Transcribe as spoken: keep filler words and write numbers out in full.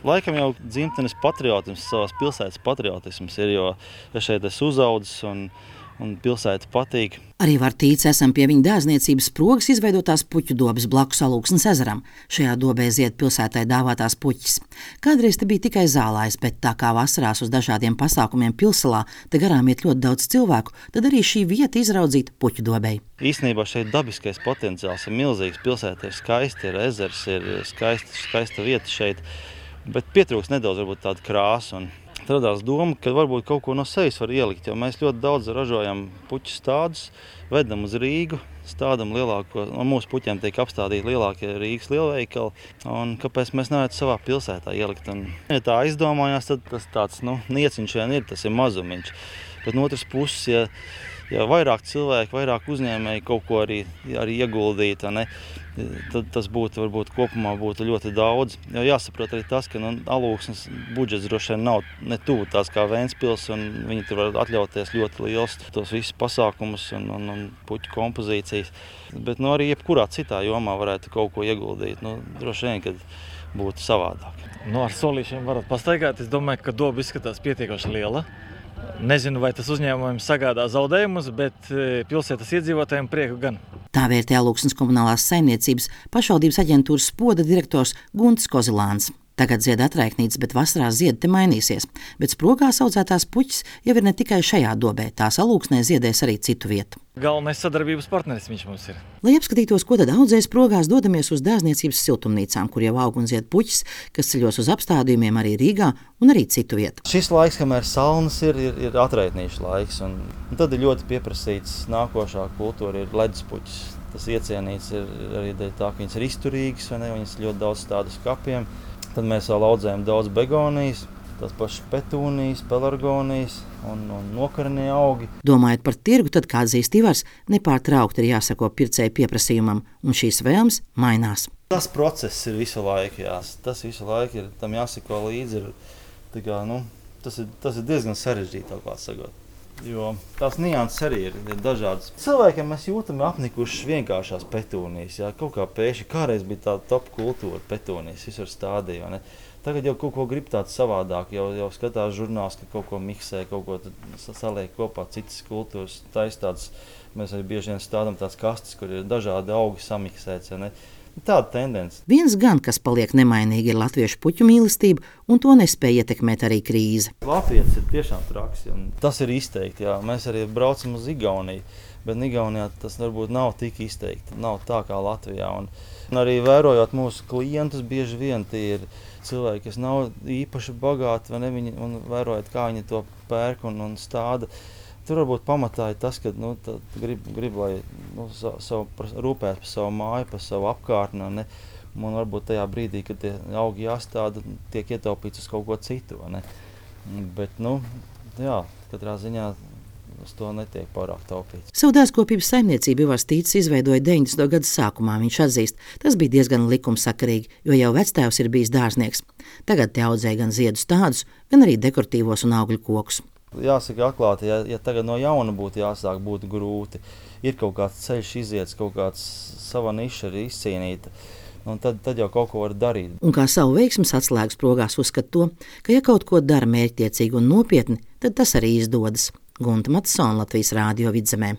Laikam jau dzimtenes patriotisms, savas pilsētas patriotisms ir, jo es šeit esmu uzaudzis un, un pilsēta patīk. Arī var tīc esam pie viņa dārzniecības Sprogas izveidotās puķu dobes blakus Alūksnes ezeram. Šajā dobē zied pilsētai dāvātās puķis. Kādreiz te bija tikai zālājs, bet tā kā vasarās uz dažādiem pasākumiem pilsalā te garām iet ļoti daudz cilvēku, tad arī šī vieta izraudzīta puķu dobei. Īstenībā šeit dabiskais potenciāls ir milzīgs. Pilsēta ir skaista, ir ezers, ir skaista, skaista vieta šeit, bet pietrūks nedaudz varbūt tādu krāsu. Un radās doma, ka varbūt kaut ko no sevis var ielikt, jo mēs ļoti daudz ražojam puķu stādus, vedam uz Rīgu, stādam lielāko, no mūsu puķiem tiek apstādīti lielākie Rīgas lielveikali, un kāpēc mēs nevarētu savā pilsētā ielikt. Un, ja tā aizdomājās, tad tas tāds, nu, nieciņš vien ir, tas ir mazumiņš. Bet no otras puses, ja, ja vairāk cilvēki, vairāk uzņēmēji kaut ko arī, arī ieguldītu, ne, tad tas būtu, varbūt kopumā būtu ļoti daudz. Jo jāsaprot arī tas, ka nu, Alūksnes budžets droši vien nav ne tuvu tās kā Ventspils, un viņi tur var atļauties ļoti liels tos visus pasākumus un, un, un puķu kompozīcijas. Bet nu, arī jebkurā citā jomā varētu kaut ko ieguldīt. Nu, droši vien, kad būtu savādāk. Nu, ar solīšiem varat pastaigāt. Es domāju, ka doba izskatās pietiekoši liela. Nezinu, vai tas uzņēmumiem sagādā zaudējumus, bet pilsētas iedzīvotājiem prieku gan. Tā vērtē Alūksnes komunālās saimniecības pašvaldības aģentūras Spoda direktors Guntis Kozilāns. Tagad zied atraiknītes, bet vasarā ziedi te mainīsies. Bet Sprogās audzētās puķis jau ir ne tikai šajā dobē, tās Alūksnē ziedēs arī citu vietu. Galvenais sadarbības partneris viņš mums ir. Lai apskatītos, ko tad audzē Sprogās, dodamies uz dārzniecības siltumnīcām, kur jau aug un zied puķis, kas ceļos uz apstādījumiem arī Rīgā un arī citu vietu. Šis laiks, kamēr salnas ir, ir, ir atraitnīšu laiks, un, un tad ir ļoti pieprasīts nākošā kultūra ir ledus puķis. Tas iecienīts ir arī tā, ka viņas ir izturīgas, vai ne, viņas ļoti daudz stādus kapiem. Tad mēs vēl audzējam daudz begonijas, tās pašas petūnijas, pelargonijas un, un nokarnie augi. Domājot par tirgu, tad, kā atzīst Ivars, nepārtraukti ir jāsako pircēju pieprasījumam, un šīs vēlmes mainās. Tas process ir visu laiku, jā. Tas visu laiku ir, tam jāsako līdzi. Ir, tā kā, nu, tas, ir, tas ir diezgan sarežģīti, tā kā sagot. Jo tās nianses arī ir, ir dažādas. Cilvēkiem mēs jūtam apnikušas vienkāršās petūnijas. Jā, kaut kā pēkšņi kādreiz bija tāda top kultūra petūnijas, visur stādīja. Ne? Tagad jau kaut ko grib tāds savādāk, jau, jau skatās žurnāls, ka kaut ko miksē, kaut ko saliek kopā, citas kultūras taistādas. Mēs arī bieži vien stādām tāds kastes, kur ir dažādi augi samiksēts. Ja, ne? Tāda tendence. Viens gan, kas paliek nemainīgi, ir latviešu puķu mīlestība, un to nespēja ietekmēt arī krīze. Latvijas ir tiešām traks, un tas ir izteikti, jā. Mēs arī braucam uz Igauniju, bet Igaunijā tas varbūt nav tik izteikti, nav tā kā Latvijā. Un, un arī vērojot mūsu klientus, bieži vien tie ir cilvēki, kas nav īpaši bagāti, vai ne, viņi, un vērojot, kā viņi to pērk un, un stāda. Tur varbūt pamatā ir tas, ka nu, grib, grib, lai nu, savu, rūpēt par savu māju, par savu apkārtni. Ne? Un varbūt tajā brīdī, kad tie augi jāstāda, tiek ietaupīts uz kaut ko citu. Ne? Bet, nu, jā, katrā ziņā uz to netiek pārāk taupīts. Savu dārzkopības saimniecību Ivars Tīcis izveidoja deviņdesmito gadu sākumā. Viņš atzīst, tas bija diezgan likumsakarīgi, jo jau vectēvs ir bijis dārznieks. Tagad te audzēja gan ziedus tādus, gan arī dekoratīvos un augļu kokus. Jāsaka atklāti, ja, ja tagad no jauna būtu jāsāk, būtu grūti. Ir kaut kāds ceļš iziets, kaut kāds sava niša ir izcīnīta, un tad, tad jau kaut ko var darīt. Un kā savu veiksmes atslēgas Sprogās uzskat to, ka ja kaut ko dara mērķtiecīgi un nopietni, tad tas arī izdodas. Gunta Matsona, Latvijas Rādio Vidzemē.